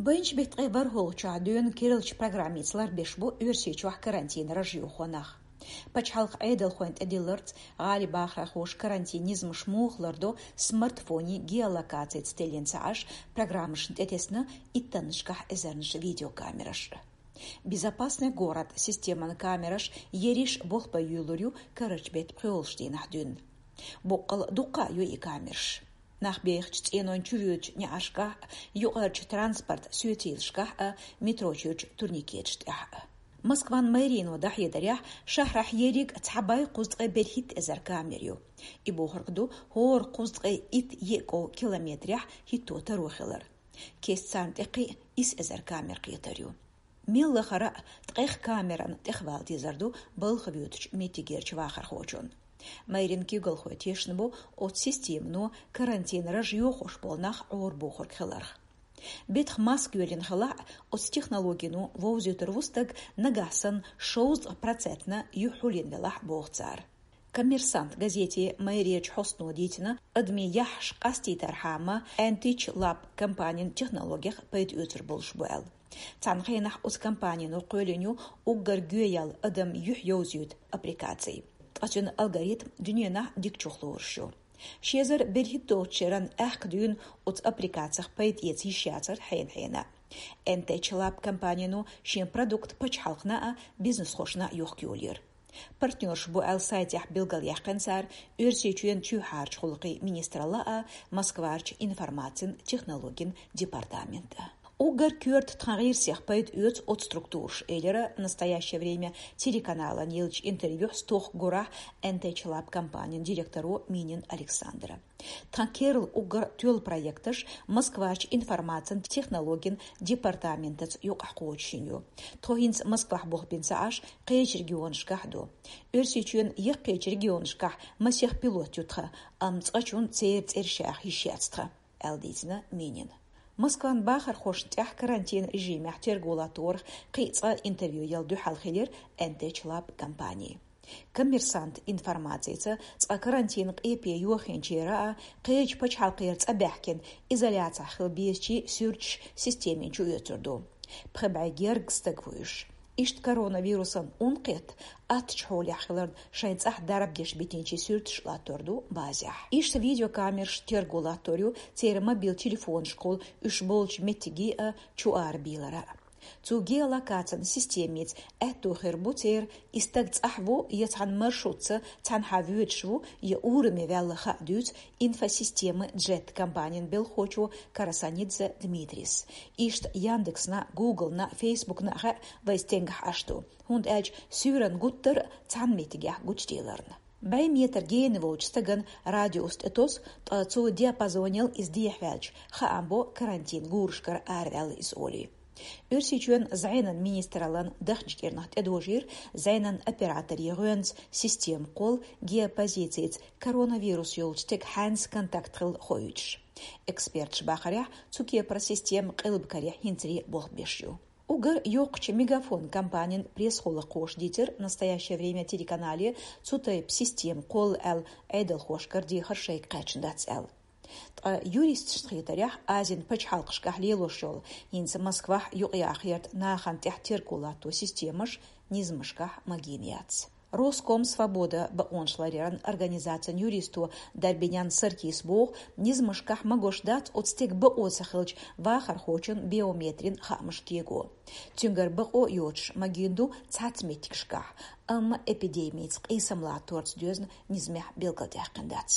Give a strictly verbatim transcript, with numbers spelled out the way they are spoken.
Баьхкача беттан ткъе ворхӀлагӀчохь дуьйна кириллича программица ларбеш бу Оьрсийчохь карантин раж йохо нах. Пачхьалкхан Ӏедалхойн тӀедилларца гӀалин бахархоша карантин низамаш муха лардо смартфонийн геолокацица теллина ца Ӏаш, программашна тӀетесна иттаннашкахь эзарнаш видеокамераш. «Безопасный город» системан камераш ерриш болх бан йолалур ю карарча беттан пхоьалгӀачу дийнахь дуьйна. Боккъал дуккха а ю и камераш. Нах бехачу цӀенойн чувоьдучу неӀаршкахь а, юкъарчу транспорт социйлашкахь а, метро чуьрчу турникеташ тӀехь а. Москван мэрино дӀахьедарехь, шахьарахь ерриг цхьа бӀе кхузткъе берхӀитта эзар камера ю. И бохург ду, хӀора кхузткъе итт еа кӀов километрехь хӀитто таро хилар. Кеста царна тӀе кхин а исс эзар камера кхетар ю. Мел лахара а ткъех камеран тӀехвала дезар ду балха воьдучу меттигерчу вахархочун. Мэрин куьйгалхой тешна бу оцу системано карантин раж йохош болу нах Ӏорабохург хиларх. Беттах маска йоьллина хилахь а, оцу технологино вовзуьйтур ву стаг нагахь санна шовзткъа процентна юьхь хьулйина велахь а, боху цара. «Коммерсант» газете мэрерчу хьостано дийцина, адамийн яххьаш къастийтархьама, Antic Lab компанин технологех пайда оьцур болуш бу аьлла. Цхьана хенахь оцу компанино кхоьллина ю уггар гӀоьяьлла адам юьхь йовзуьйту аппликаци. Ткъа цуьнан алгоритм дуьненахь дикачух лоруш ю. Ши эзар берхӀитталгӀачу шеран аьхка дуьйна оцу аппликацих пайда эца йиш яцара хьенан-хьенан. Antic Lab компанино шен продукт пачхьалкхана а, бизнесхошна а йохка йолийра. Партнёрш бу аьлла сайтехь билгалъяьккхина цара Оьрсийчоьнан чоьхьарчу гӀуллакхийн министралла а, Москварчу информацин технологин департамент а. Уггар коьрта тхан гӀирсех пайда оьцу оцу структураша, элира «Настоящее время» телеканалан еллачу интервьюхь стохка гурахь Antic Lab компанин директоро Минин Александра. Тхан керла уггар тоьлла проекташ Москварчу информацин технологин департаментаца юкъахь кхочушйина ю. Тхо хӀинца Москвахь болх бина ца Ӏаш, кхечу регионашкахь ду. Оьрсийчоьнан яккхийчу регионашкахь масех пилот ю тхан, амма цкъачунна церан цӀераш яха йиш яц тхан, аьлла дийцина Минина. Москван бахархошна тӀехь карантин режимехь терго латторах кхин а цкъа интервью яла дуьхьал хилира Antic Lab компани. «Коммерсант» информацица, цкъа карантин къепе йохийначеран а, кхечу пачхьалкхера цӀа баьхкина, изоляцехь хила безачийн суьрташ системин чу оьцур ду. Пхи бӀе гергга стаг ву уьш. Иштта коронавирусан ун кхетта, аттачу хьолехь хиларна шайн цӀахь дарба деш битинчийн суьрташ латтор ду базехь. Иштта видеокамераш терго латтор ю церан мобил телефонашкахула уьш болчу меттиге а, чу арабийлара а. Цу геолокацин системица аьтто хир бу церан и стаг цӀахь ву я цхьана маршрутца цхьанхьа воьдуш ву, я ураме ваьлла хаа дуьйцу «Инфосистемы Джет» компанин белхахочо Карасанидзе Дмитрис. Иштта Яндексна, Гуглна, Фейсбукна а хаьа вай стенгахь Ӏаш ду, хӀунда аьлча суьйранна гуттар а цхьана меттигехь гучуделарна. БӀе метр гена волчу стаган радиус тӀетосу, ткъа цу диапазонел иза дехьаваьлча, хаам бо карантин гурашкара араваьлла иза олий. Оьрсийчоьнан зӀенан министраллан дахначу кӀирнах тӀедожийра зӀенан операторийн гӀоьнца система кхолла геопозицица коронавирус йолчу стеган хьаьнца контакт хилла хоуьйтуш. Эксперташа бахарехь, цу кепара система къилбакарехь хӀинцале болх беш ю. Уггар йоккхачу «Мегафон» компанин пресс-гӀуллакххоша дийцира «Настоящее время» телеканале цу тайпа система кхолла аьлла Ӏедалхошкара дехар шайга кхаьчна дац аьлла. Ткъа юристашна хетарехь, Азин пачхьалкхашкахь лелош йолу, хӀинца Москвахь юкъаяха гӀерта нахана тӀехь терго латто системаш низамашкахь магийна яц. «Роскомсвобода» бакъонаш ларъяран организацин юристо Дарбинян Саркис боху, низамашкахь магош дац оцу стеган бакъо ца хилча вахархочун биометрин хаамаш кего. Цуьнгара бакъо йоцуш магийна ду цхьацца меттигашкахь, амма эпидемица къийсам латторца доьзна низамехь билгалдаьккхина дац.